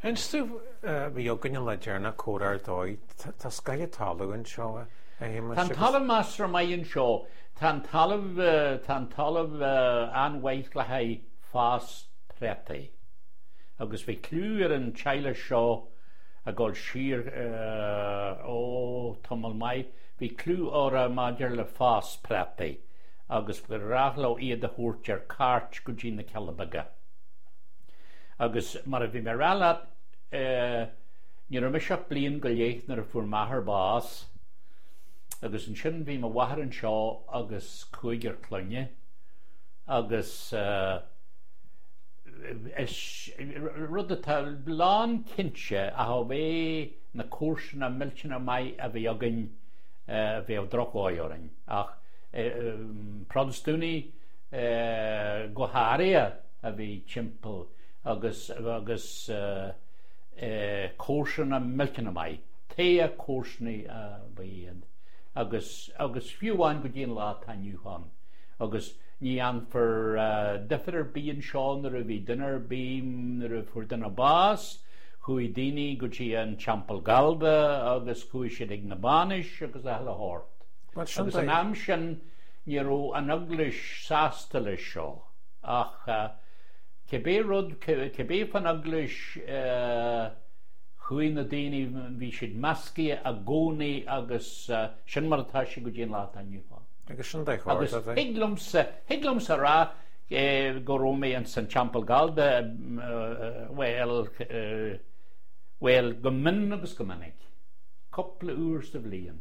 Inis domh, bhí againn an lá deireanach comhrá ar dóigh, tá scoth an talamh anseo, a Shéamais. Tá an talamh measartha maith anseo. Tá an talamh, tá an talamh an-mhaith le haghaidh fás préataí. Agus bhí cliú ar an teaghlach seo ag dul siar, ó, tamall maith, bhí cliú orthu maidir le fás préataí agus ba ghnách leo iad a thabhairt ar cairt go dtí na Cealla Beaga. Agus mar a bhí mé a rá leat, ní raibh mise ach bliain go leith nuair a fuair m'athair bás, agus ansin bhí mo mháthair anseo agus cúigear clainne, agus is rud atá lán cinnte ach ó bhí na comharsana millteanach maith a bhí againn, bheadh drochdhóigh orainn. Ach Protastúnaigh go háirithe a bhí timpeall agus agus comharsana millteanach maith, togha comharsanaí a ba iad agus agus fiú amháin go dtí an lá atá inniu ann agus ní dhéanfar difear ar bith anseo nuair a bhí duine ar bith, nuair a fuair duine bás, chuaigh daoine go dtí an Teampall Gallda agus chuaigh siad ag na bainis agus a chuile shórt. Agus an am sin ní raibh an Eaglais sásta leis seo. Ach cibé rud, cibé fán Eaglais, chuaigh na daoine, bhí siad measctha i gcónaí agus sin mar atá sé go dtí an lá atá inniu ann. Agus sin de chóir, Agus thig liomsa, thig liomsa a rá go raibh mé ins an Teampall Gallda, bhuel, bhuel, go mion agus go minic, cúpla uair sa bhliain.